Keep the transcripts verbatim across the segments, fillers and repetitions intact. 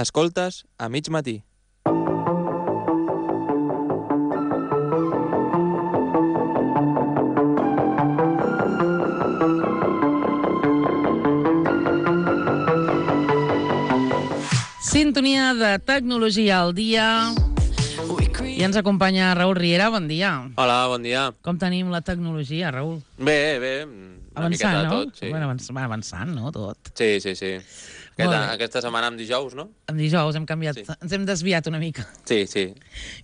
Escoltes a mig matí. Sintonia de tecnologia al dia. I ens acompanya Raül Riera, bon dia. Hola, bon dia. Com tenim la tecnologia, Raül? Bé, bé, una avançant, miqueta de no? tot, sí. Bueno, avanç, avançant, no, tot. Sí, sí, sí. Aquesta, Molt bé. aquesta setmana amb dijous, no? En dijous hem canviat, Sí. ens hem desviat una mica. Sí, sí.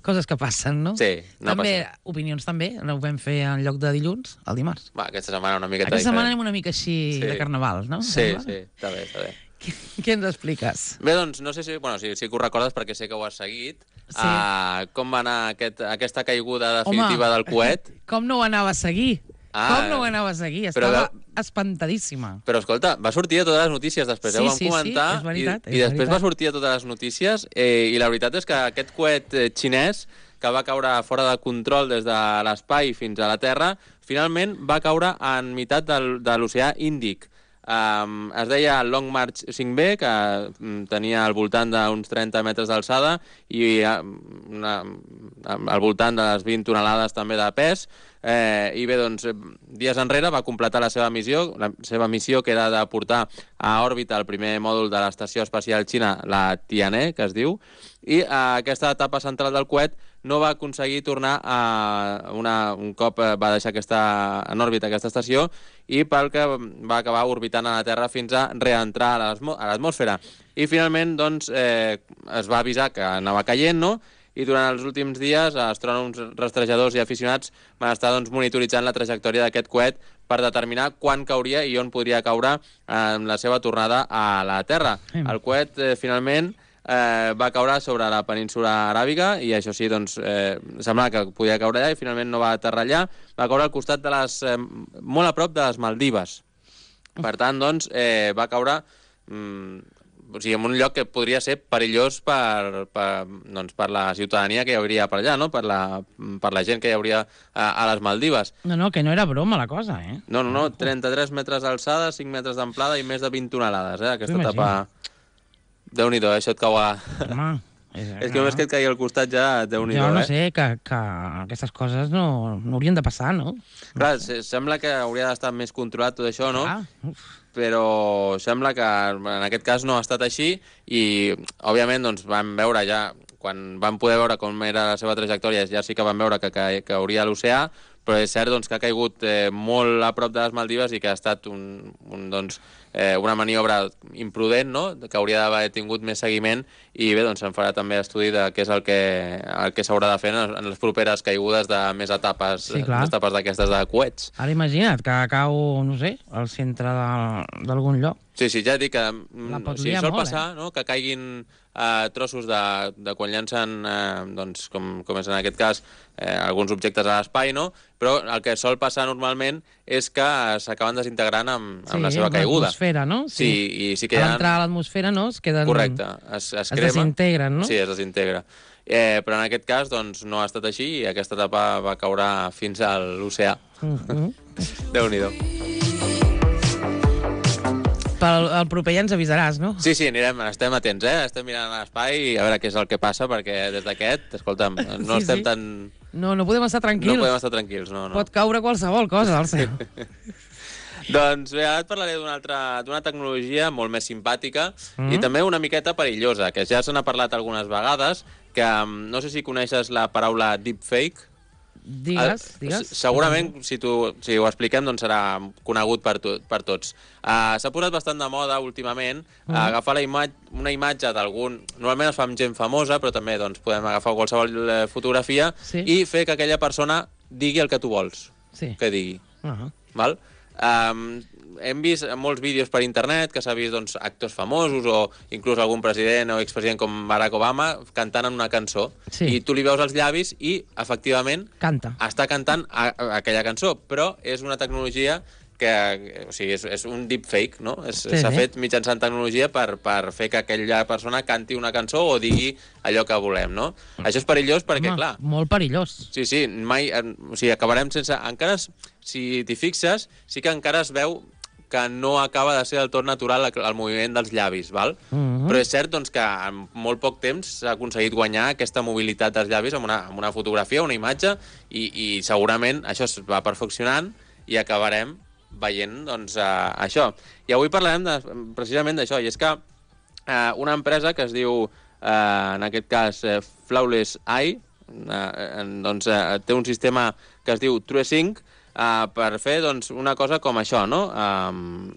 Coses que passen, no? Sí, no també, passa. Opinions també, ho vam fer en lloc de dilluns, el dimarts. Va, aquesta setmana una miqueta Aquesta setmana diferent. anem una mica així Sí. de carnaval, no? Sí, Sembla? sí, està bé, està bé. Què, què ens expliques? Bé, doncs, no sé si... Bueno, sí, sí que ho recordes perquè sé que ho has seguit. Sí. Uh, com va anar aquest, aquesta caiguda definitiva Home, del coet? Com no ho anava a seguir? Ah, com no ho anava a seguir? però Estava veu- espantadíssima. Però, escolta, va sortir a totes les notícies després, Sí, eh? Ho vam sí, sí, comentar. és veritat, i, és I després veritat. va sortir a totes les notícies eh, i la veritat és que aquest coet eh, xinès que va caure fora de control des de l'espai fins a la Terra, finalment va caure en meitat del, de l'oceà Índic. Um, es deia Long March cinc B, que um, tenia al voltant d'uns trenta metres d'alçada i uh, una, al voltant de les vint tonelades també de pes. Eh, I bé, doncs, dies enrere va completar la seva missió, la seva missió que era de portar a òrbita el primer mòdul de l'Estació Espacial Xina, la Tianhe, que es diu, i eh, aquesta etapa central del coet no va aconseguir tornar a una, un cop va deixar aquesta, en òrbita aquesta estació i pel que va acabar orbitant a la Terra fins a reentrar a l'atmosfera. I finalment doncs, eh, es va avisar que anava caient, no?, i durant els últims dies astrònoms, rastrejadors i aficionats van estar doncs, monitoritzant la trajectòria d'aquest coet per determinar quan cauria i on podria caure en la seva tornada a la Terra. El coet eh, finalment eh, va caure sobre la península aràbiga i això sí, doncs, eh, semblava que podia caure allà i finalment no va aterrar allà, va caure al costat de les, eh, molt a prop de les Maldives. Per tant, doncs, eh, va caure... Mm, o sigui, en un lloc que podria ser perillós per, per, doncs, per la ciutadania que hi hauria per allà, no? Per la, per la gent que hi hauria a, a les Maldives. No, no, que no era broma la cosa, eh? No, no, no, trenta-tres metres d'alçada, cinc metres d'amplada i més de vint tonelades, eh? Aquesta etapa... Déu-n'hi-do, eh? Això et cau a... Home, és, és que només que et caigui al costat ja, Déu-n'hi-do, jo no eh? sé, que, que aquestes coses no, no haurien de passar, no? Clar, se- sembla que hauria d'estar més controlat tot això, no? Ah, uf. Però sembla que en aquest cas no ha estat així i, òbviament, doncs, vam veure ja, quan vam poder veure com era la seva trajectòria, ja sí que vam veure que, que, que hauria a l'oceà, però és cert doncs, que ha caigut eh, molt a prop de les Maldives i que ha estat un, un, doncs, eh, una maniobra imprudent, no?, que hauria d'haver tingut més seguiment i bé, doncs se'n farà també estudi de què és el que, el que s'haurà de fer en, en les properes caigudes de més etapes, Sí, clar. més etapes d'aquestes de coets. Ara imagina't que cau, no sé, al centre de- d'algun lloc. Sí, sí, ja et dic que La mm, pot o sigui, liar sol molt, passar, no?, que caiguin eh, trossos de, de quan llancen, eh, doncs, com, com és en aquest cas, eh, alguns objectes a l'espai, no?, però el que sol passar normalment és que s'acaben desintegrant amb, amb la seva caiguda. l'atmosfera, no? Sí, i sí que a hi ha... l'entrar a l'atmosfera, no? Es queden... Correcte, es, es, Es crema. desintegren, no? Sí, es desintegra. Eh, però en aquest cas, doncs, no ha estat així i aquesta etapa va caure fins a l'oceà. Mm -hmm. Déu-n'hi-do. Pel el proper ja ens avisaràs, no? Sí, sí, anirem, estem atents, eh? Estem mirant a l'espai a veure què és el que passa, perquè des d'aquest, escolta'm, no Sí, estem sí. tan... No, no podem estar tranquils. No podem estar tranquils, no, no. Pot caure qualsevol cosa al cel. Doncs bé, ara et parlaré d'una altra, d'una tecnologia molt més simpàtica Mm. i també una miqueta perillosa, que ja se n'ha parlat algunes vegades, que mm, no sé si coneixes la paraula deepfake. Digues, Ah, digues. s- Segurament, si, tu, si ho expliquem, doncs serà conegut per, to, per tots. Uh, S'ha posat bastant de moda últimament uh, agafar la ima una imatge d'algun... Normalment es fa amb gent famosa, però també doncs, podem agafar qualsevol eh, fotografia Sí. i fer que aquella persona digui el que tu vols Sí. que digui. Uh -huh. Val? Um, hem vist molts vídeos per internet que s'ha vist doncs, actors famosos o inclús algun president o expresident com Barack Obama cantant en una cançó. Sí. I tu li veus els llavis i, efectivament, Canta. està cantant a, a aquella cançó, però és una tecnologia que, o sigui, és, és un deepfake, no? S'ha Sí, sí. fet mitjançant tecnologia per, per fer que aquella persona canti una cançó o digui allò que volem, no? Això és perillós perquè, Home, clar... molt perillós. Sí, sí, mai... O sigui, acabarem sense... Encara, si t'hi fixes, sí que encara es veu que no acaba de ser del tot natural el moviment dels llavis, val? Mm-hmm. Però és cert doncs, que en molt poc temps s'ha aconseguit guanyar aquesta mobilitat dels llavis amb una, amb una fotografia, una imatge, i, i segurament això es va perfeccionant i acabarem veient doncs, uh, això. I avui parlarem de, precisament d'això, i és que uh, una empresa que es diu, uh, en aquest cas, uh, Flawless Eye, uh, doncs, uh, té un sistema que es diu TrueSync, Uh, per fer doncs, una cosa com això, no? Um,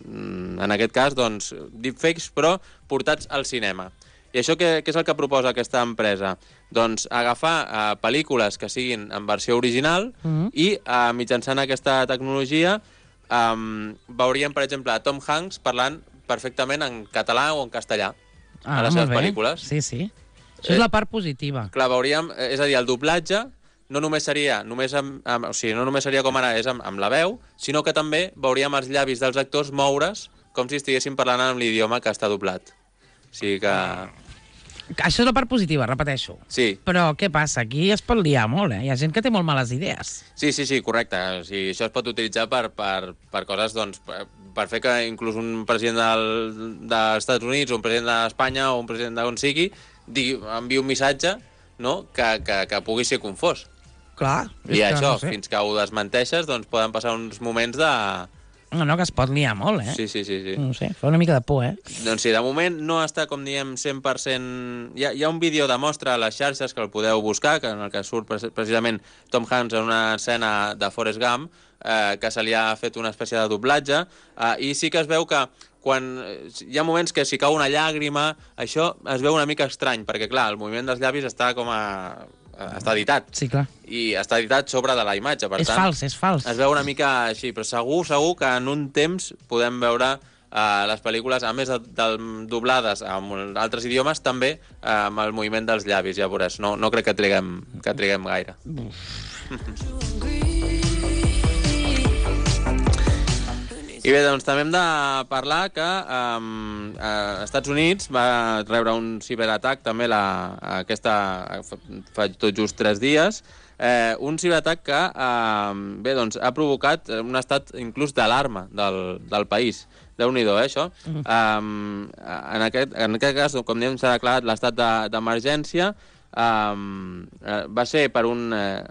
en aquest cas, doncs, deepfakes, però portats al cinema. I això què, què és el que proposa aquesta empresa? Doncs agafar uh, pel·lícules que siguin en versió original mm-hmm. i uh, mitjançant aquesta tecnologia um, veuríem, per exemple, Tom Hanks parlant perfectament en català o en castellà ah, a les seves pel·lícules. Sí, sí. Això és la part positiva. Clar, veuríem, és a dir, el doblatge no només seria, només amb, amb, o sigui, no només seria com ara és amb, amb la veu, sinó que també veuríem els llavis dels actors moure's com si estiguessin parlant en l'idioma que està doblat. O sigui que... Això és la part positiva, repeteixo. Sí. Però què passa? Aquí es pot liar molt, eh? Hi ha gent que té molt males idees. Sí, sí, sí, correcte. O sigui, això es pot utilitzar per, per, per coses, doncs, per, per fer que inclús un president del, dels Estats Units, un president d'Espanya o un president d'on sigui, digui, enviï un missatge, no?, que, que, que pugui ser confós. Clar. I això, no sé. Fins que ho desmenteixes, doncs poden passar uns moments de... No, no, que es pot liar molt, eh? Sí, sí, sí. sí. No sé, fa una mica de por, eh? Doncs sí, de moment no està, com diem, cent per cent... Hi ha, hi ha un vídeo de mostra a les xarxes que el podeu buscar, que en el que surt precisament Tom Hanks en una escena de Forrest Gump, eh, que se li ha fet una espècie de doblatge, eh, i sí que es veu que quan hi ha moments que si cau una llàgrima, això es veu una mica estrany, perquè, clar, el moviment dels llavis està com a... està editat. Sí, clar. I està editat sobre de la imatge, per és tant... És fals, és fals. Es veu una mica així, però segur, segur que en un temps podem veure uh, les pel·lícules, a més de, de doblades en altres idiomes, també uh, amb el moviment dels llavis, ja veuràs. No, no crec que triguem, que triguem gaire. I bé, doncs també hem de parlar que um, a Estats Units va rebre un ciberatac també la, aquesta, fa tot just tres dies, eh, un ciberatac que eh, bé, doncs, ha provocat un estat inclús d'alarma del, del país. Déu-n'hi-do, eh, això. Uh -huh. um, en, aquest, en aquest cas, com diem, s'ha declarat l'estat d'emergència. Um, va ser per un, eh,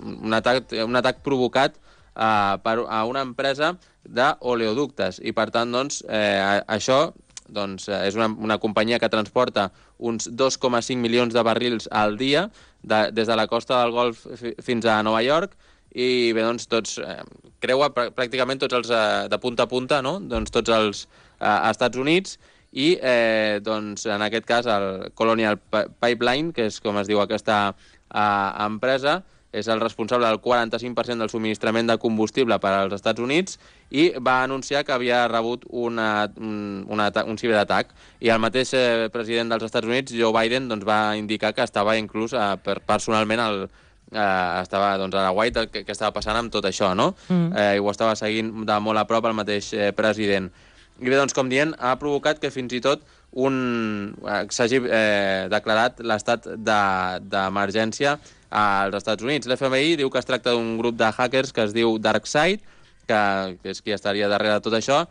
un, atac, un atac provocat uh, per a una empresa d'oleoductes, i per tant, doncs, eh, això doncs, és una, una companyia que transporta uns dos coma cinc milions de barrils al dia de, des de la costa del Golf fins a Nova York, i bé, doncs, tots, eh, creua pr pràcticament tots els, eh, de punta a punta, no?, doncs, tots els eh, Estats Units, i eh, doncs, en aquest cas el Colonial Pipeline, que és com es diu aquesta eh, empresa, és el responsable del quaranta-cinc per cent del subministrament de combustible per als Estats Units, i va anunciar que havia rebut una, un, una, un ciberatac. I el mateix eh, president dels Estats Units, Joe Biden, doncs, va indicar que estava inclús eh, per, personalment el, eh, estava doncs, a la White què, què estava passant amb tot això, no? Mm. Eh, I ho estava seguint de molt a prop el mateix eh, president. I bé, doncs, com dient, ha provocat que fins i tot un eh, s'hagi eh, declarat l'estat d'emergència de, als Estats Units. L'F B I diu que es tracta d'un grup de hackers que es diu DarkSide, que, que és qui estaria darrere de tot això,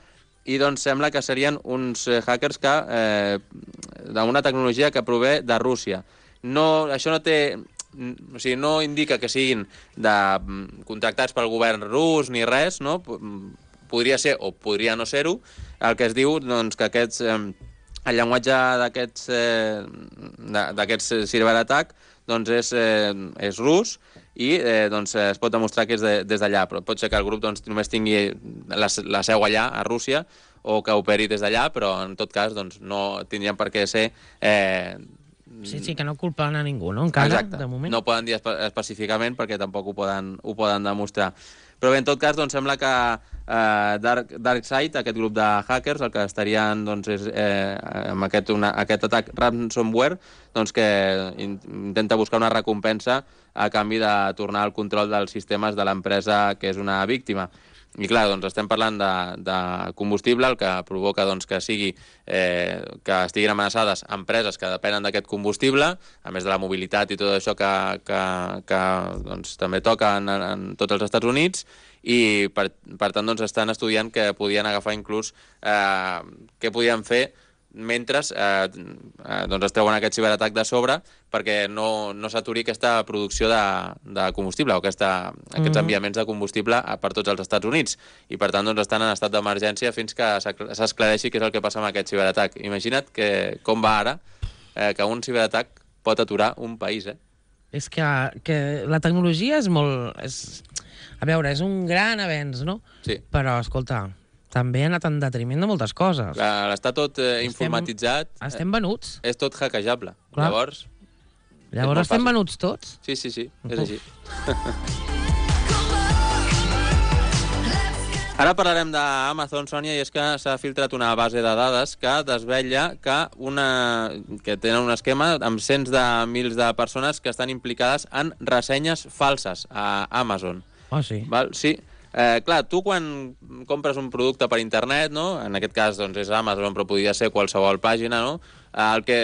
i doncs sembla que serien uns hackers que eh, d'una tecnologia que prové de Rússia. No, això no té... O sigui, no indica que siguin de, contractats pel govern rus ni res, no? Podria ser o podria no ser-ho. El que es diu, doncs, que aquests... Eh, el llenguatge d'aquests eh, d'aquests ciberatac doncs és, eh, és rus, i eh, doncs es pot demostrar que és de, des d'allà, però pot ser que el grup doncs, només tingui la, la seu allà, a Rússia, o que operi des d'allà, però en tot cas doncs, no tindrien per què ser... Eh, sí, sí, que no culpen a ningú, no? Encara, exacte. De moment. No ho poden dir espe específicament perquè tampoc ho poden, ho poden demostrar. Però bé, en tot cas, doncs, sembla que eh, Dark, DarkSide, aquest grup de hackers, el que estarien doncs, és, eh, amb aquest, una, aquest atac ransomware, doncs, que in, intenta buscar una recompensa a canvi de tornar al control dels sistemes de l'empresa que és una víctima. I clar, doncs estem parlant de, de combustible, el que provoca doncs, que sigui eh, que estiguin amenaçades empreses que depenen d'aquest combustible, a més de la mobilitat i tot això que, que, que doncs, també toca en, en tots els Estats Units, i per, per tant doncs, estan estudiant que podien agafar inclús eh, què podien fer mentre eh, eh, doncs es treuen aquest ciberatac de sobre perquè no, no s'aturi aquesta producció de, de combustible o aquesta, aquests mm-hmm. enviaments de combustible per tots els Estats Units. I per tant doncs, estan en estat d'emergència fins que s'esclareixi què és el que passa amb aquest ciberatac. Imagina't que, com va ara eh, que un ciberatac pot aturar un país. Eh? És que, que la tecnologia és molt... És... A veure, és un gran avenç, no? Sí. Però, escolta, també ha anat en detriment de moltes coses. Clar, està tot eh, estem, informatitzat. Estem venuts. És tot hackejable. Clar. Llavors... Llavors estem fàcil. Venuts tots? Sí, sí, sí, és així. Ara parlarem d'Amazon, Sònia, i és que s'ha filtrat una base de dades que desvetlla que, una, que tenen un esquema amb cents de mils de persones que estan implicades en ressenyes falses a Amazon. Ah, oh, sí? Val? Sí. Eh, clar, tu quan compres un producte per internet, no? En aquest cas doncs, és Amazon, però podria ser qualsevol pàgina, no? Eh, el que,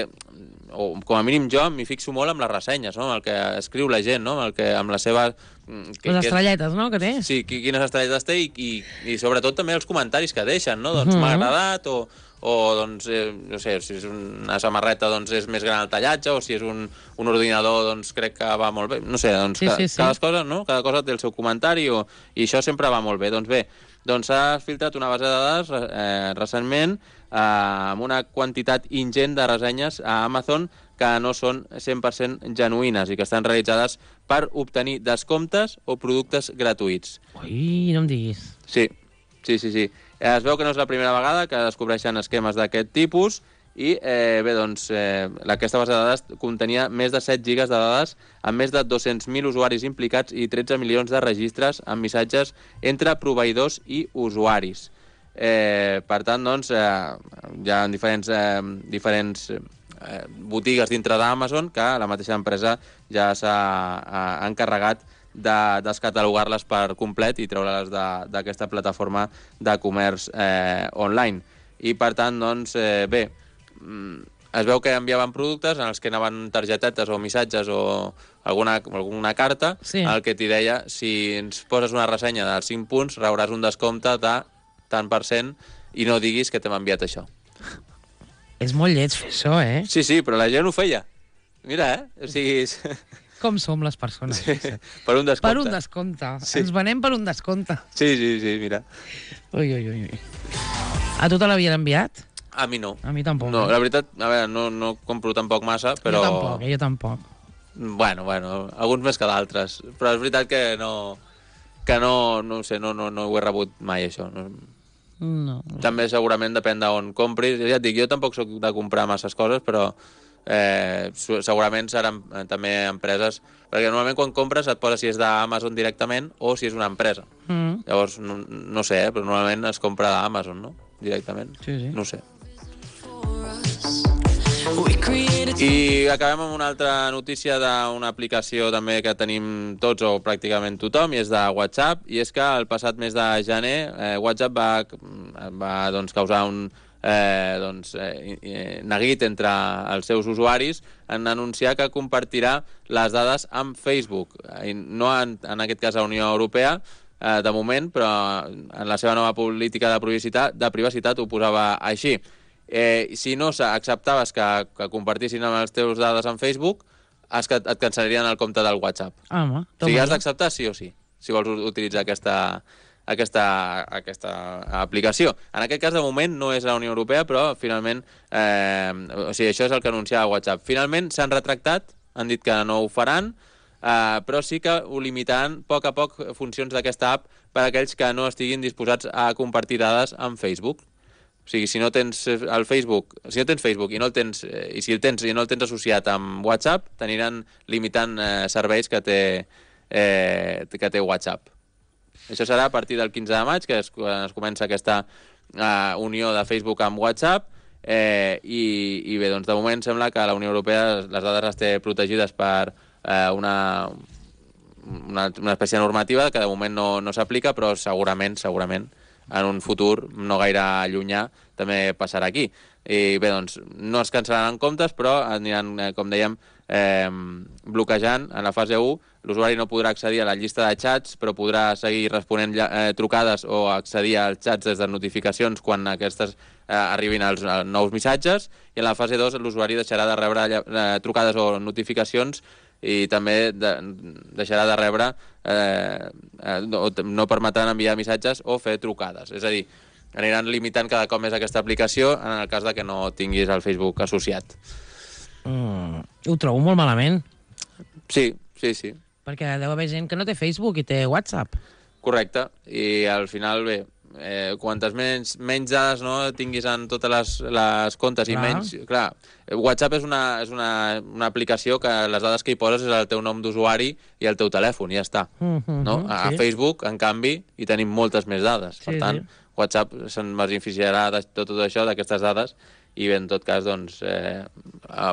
o com a mínim jo, m'hi fixo molt amb les ressenyes, no? El que escriu la gent, no? El que, amb la seva... Que, les estrelletes, no?, que té. Sí, quines estrelletes té i, i, i sobretot també els comentaris que deixen, no? Doncs Mhm. m'ha agradat o... o doncs, eh, no sé, si és una samarreta doncs és més gran el tallatge, o si és un, un ordinador doncs crec que va molt bé, no sé, doncs Sí, ca, sí, sí. cada cosa, no? Cada cosa té el seu comentari o, i això sempre va molt bé. Doncs bé, doncs s'ha filtrat una base de dades eh, recentment eh, amb una quantitat ingent de ressenyes a Amazon que no són cent per cent genuïnes i que estan realitzades per obtenir descomptes o productes gratuïts. Ui, no em diguis. Sí, sí, sí, sí. Es veu que no és la primera vegada que descobreixen esquemes d'aquest tipus i, eh, bé, doncs, eh, aquesta base de dades contenia més de set gigas de dades amb més de dos-cents mil usuaris implicats i tretze milions de registres amb missatges entre proveïdors i usuaris. Eh, per tant, doncs, eh, hi ha diferents, eh, diferents eh, botigues dintre d'Amazon que la mateixa empresa ja s'ha eh, encarregat de descatalogar-les per complet i treure-les d'aquesta plataforma de comerç eh, online. I, per tant, doncs, eh, bé, es veu que enviaven productes en els que anaven targetetes o missatges o alguna, alguna carta, sí. El que t'hi deia, si ens poses una ressenya dels cinc punts, rebràs un descompte de tant per cent i no diguis que t'hem enviat això. És molt lleig fer això, eh? Sí, sí, però la gent ho feia. Mira, eh? O sigui... Com som les persones. Sí, per un descompte. Per un descompte. Sí. Ens venem per un descompte. Sí, sí, sí, mira. Ui, ui, ui. A tu te l'havien enviat? A mi no. A mi tampoc. No, eh? la veritat, a veure, no, no compro tampoc massa, però... Jo tampoc, eh? Jo tampoc. Bueno, bueno, alguns més que d'altres. Però és veritat que no... Que no, no sé, no, no, no ho he rebut mai, això. No. No. També segurament depèn d'on compris. Ja et dic, jo tampoc sóc de comprar masses coses, però... Eh, segurament seran eh, també empreses, perquè normalment quan compres et posa si és d'Amazon directament o si és una empresa. Mm. Llavors, no, no sé, eh, però normalment es compra d'Amazon, no? Directament. Sí, sí. No ho sé. I acabem amb una altra notícia d'una aplicació també que tenim tots o pràcticament tothom, i és de WhatsApp, i és que el passat mes de gener eh, WhatsApp va, va doncs, causar un eh, doncs, eh, neguit entre els seus usuaris en anunciar que compartirà les dades amb Facebook. I no en, en aquest cas a la Unió Europea, eh, de moment, però en la seva nova política de privacitat, de privacitat ho posava així. Eh, si no acceptaves que, que compartissin amb els teus dades en Facebook, es, et cancel·larien el compte del WhatsApp. Home, o sigui, has d'acceptar sí o sí, si vols utilitzar aquesta, aquesta, aquesta aplicació. En aquest cas, de moment, no és la Unió Europea, però finalment, eh, o sigui, això és el que anunciava WhatsApp. Finalment s'han retractat, han dit que no ho faran, eh, però sí que ho limitaran a poc a poc funcions d'aquesta app per a aquells que no estiguin disposats a compartir dades amb Facebook. O sigui, si no tens el Facebook, si no tens Facebook i no el tens, eh, i si el tens i no el tens associat amb WhatsApp, t'aniran limitant eh, serveis que té, eh, que té WhatsApp. Això serà a partir del quinze de maig, que es, es comença aquesta eh, unió de Facebook amb WhatsApp, eh, i, i bé, doncs de moment sembla que la Unió Europea les dades les té protegides per eh, una... una, una espècie de normativa que de moment no, no s'aplica, però segurament, segurament, en un futur no gaire llunyà també passarà aquí. I bé, doncs, no es cancel·laran comptes, però aniran, com dèiem, eh, bloquejant en la fase u. L'usuari no podrà accedir a la llista de xats, però podrà seguir responent eh, trucades o accedir als xats des de notificacions quan aquestes eh, arribin als, als nous missatges. I en la fase dos l'usuari deixarà de rebre eh, trucades o notificacions i també de, deixarà de rebre, eh, eh, no, no permetran enviar missatges o fer trucades. És a dir, aniran limitant cada cop més aquesta aplicació en el cas de que no tinguis el Facebook associat. Mm, ho trobo molt malament. Sí, sí, sí. Perquè deu haver gent que no té Facebook i té WhatsApp. Correcte. I al final, bé, eh, quantes menys, menys dades no, tinguis en totes les, les comptes i Clar. menys... Clar, WhatsApp és, una, és una, una aplicació que les dades que hi poses és el teu nom d'usuari i el teu telèfon, i ja està. Mm -hmm, No? A sí. Facebook, en canvi, hi tenim moltes més dades. Sí, Per tant, sí. WhatsApp se'n beneficiarà de tot, tot això, d'aquestes dades, i bé, en tot cas, doncs, eh,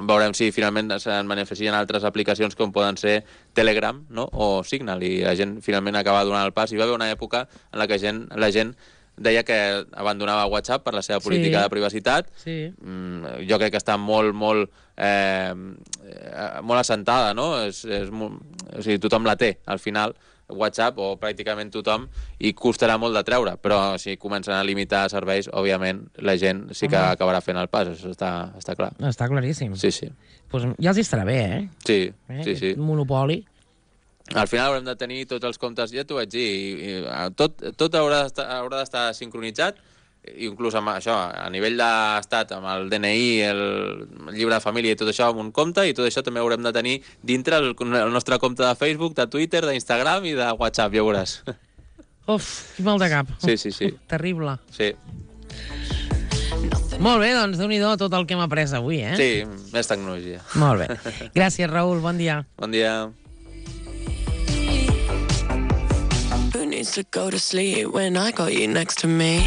veurem si finalment se'n beneficien altres aplicacions com poden ser Telegram, no? O Signal, i la gent finalment acaba donant el pas. Hi va haver una època en la que gent, la gent deia que abandonava WhatsApp per la seva política Sí. de privacitat. Sí. Mm, jo crec que està molt, molt, eh, molt assentada, no? És, és molt, o sigui, tothom la té, al final, WhatsApp, o pràcticament tothom, i costarà molt de treure, però si comencen a limitar serveis, òbviament, la gent sí que Home. acabarà fent el pas, això està, està clar. Està claríssim. Sí, sí. Pues ja els estarà bé, eh? Sí, eh? sí, sí. Un monopoli. Al final haurem de tenir tots els comptes, ja t'ho vaig dir, i, i, tot, tot haurà d'estar haurà d'estar sincronitzat, inclús amb això, a nivell d'estat, amb el D N I, el llibre de família i tot això, amb un compte, i tot això també haurem de tenir dintre el, el nostre compte de Facebook, de Twitter, d'Instagram i de WhatsApp, ja ho veuràs. Uf, quin mal de cap. Sí, sí, sí. Terrible. Sí, Molt bé, doncs déu-n'hi-do tot el que hem après avui, eh? sí, més tecnologia. Molt bé. Gràcies, Raül, bon dia. Bon dia. Who needs to go to sleep when I got you next to me?